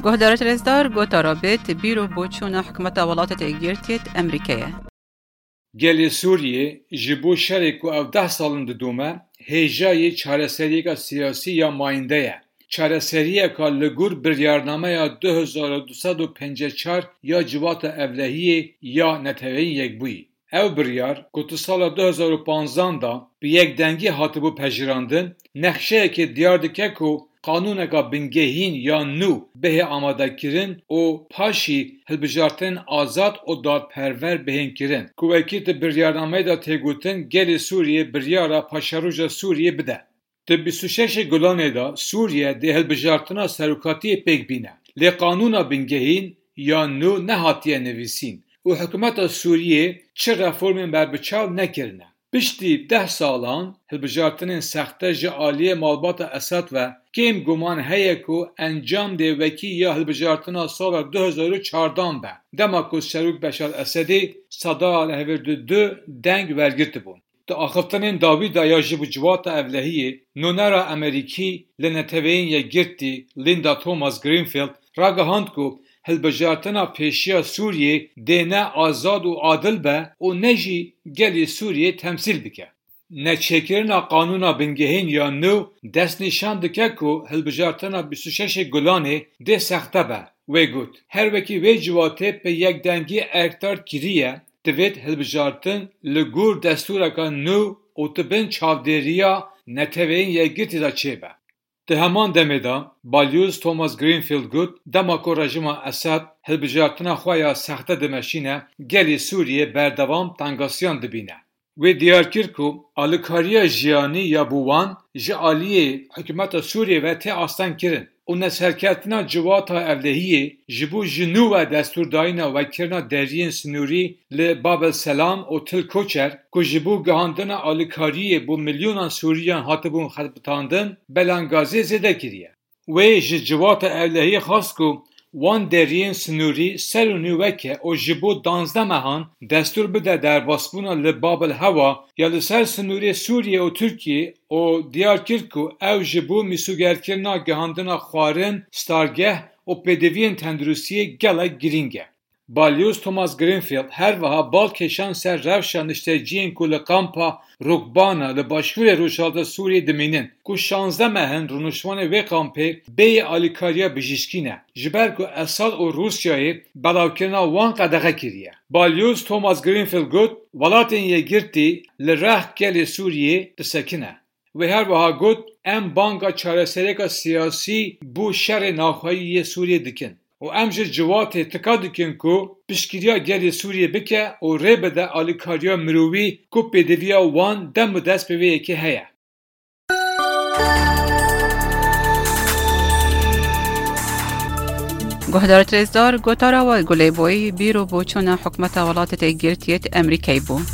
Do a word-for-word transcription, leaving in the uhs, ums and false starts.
Guhdarêt rêzdar, gotara bêt bîr û boçûna hikûmeta Welatêt Êkgirtiyêt Emerîkeyê. Gelê Sûriyê ji bo şerê ku ew deh sal in didome, hêjayê çareseriyeka siyasî ya mayînde ye. Çareseriyeka li gor biryarnameya du hezar û du sed û pêncî û çar ya Civata Ewlehiyê ya Neteweyên Yekbûyî. Ew biryar, ku di sala du hezar û panzdan de bi yekdengî hatibû pejirandin, nexşeyekê diyar dike ku qanûneka bingehîn ya nû bihê amadekirin û paşî hilbijartinên azad û dadperwer bihên kirin, ku wekî di biryarnameyê de tê gotin, gelê Sûriyê biryara paşeroja Sûriyê bide. Di bîst û şeşê Gulanê de Sûriye dê hilbijartina serokatiyê pêk bîne. Lê qanûna bingehîn ya nû nehatiye nivîsîn û hikûmeta Sûriyê çi reformên berbiçav nekirine. Piştî deh salan hilbijartinên sexte ji aliyê malbata Esad ve kêm guman heye ku encam dê wekî ya hilbijartina sala du hezar û çardan be, dema ku Serok Beşar Esedî seda li hevêr du deng wergirtibûn. Di axiftinên dawî de ya ji bo Civata Ewlehiyê, nûnera Emerîkî li Neteweyên Yekgirtî Linda Thomas Greenfield ragihand ku hilbijartina pêşiya Sûriyê dê ne azad û adil be û ne jî gelê Sûriyê temsîl bike. Neçêkirina qanûna bingehîn ya nû destnîşan dike ku hilbijartina bîst û şeşê Gulanê dê sexte be. Wê got, her wekî vê civatê bi yekdengî erkdar kiriye, divêt hilbijartin li gor destûreka nû û di bin çavdêriya Neteweyên Yekgirtî de çêbe. Di heman demê de Balyoz Thomas Greenfield got, dema ku rejîma Esad hilbijartina xwe ya sexte dimeşîne, gelê Sûriyê berdewam tengasiyan dibîne. Wê diyar kir ku alîkariya jiyanî ya bo wan ji aliyê hikûmeta Sûriyê ve tê astengkirin û neserketina Civata Ewlehiyê ji bo ji nû ve destûrdayîna vekirina deriyên sinûrî li Bab el Selam û Til Koçer ku ji bo gihandina alîkariyê bo milyonan Sûriyan hatibûn xebitandin, belangaziyê zêde kiriye. Wê ji Civata Ewlehiyê xwest ku wan deriyên sinûrî ser û nû veke û ji bo danzdeh mehan destûr bide derbasbûna li Bab el Hewa ya li ser sinûrê Sûriye û Tirkiyê û diyar kir ku ew ji bo mîsogerkirina gihandina xwarin, stargeh û pêdiviyên tenduristiyê gelek girîng e. Balyoz Thomas Greenfield her wiha bal kêşand ser rewşa nişteciyên ku li kampa Rukbana li başûrê rojhilata Sûriyê dimînin, ku şazdeh meh in rûniştvanê wê kampê bêyî alîkariya bijîşkî ne, ji ber ku Esad û Rûsyayê belavkirina wan qedexe kiriye. Balyoz Thomas Greenfield got, Welatên Yekgirtî li rex gelê Sûriyê disekine. Wê her wiha got, Em banga çareseriyeka siyasî bo şerê navxweyî yê Sûriyê dikin û em ji civatê tika dikin ku piştgiriya gelê Sûriyê bike û rê bide alîkariya mirovî ku pêdiviya wan dem û dest bi vê yekê heye. Guhdarêt rêzdar, gotara we Gulê Boyî bîr û boçûna hikûmeta Welatêt Êkgirtiyêt Emerîkeyê bû.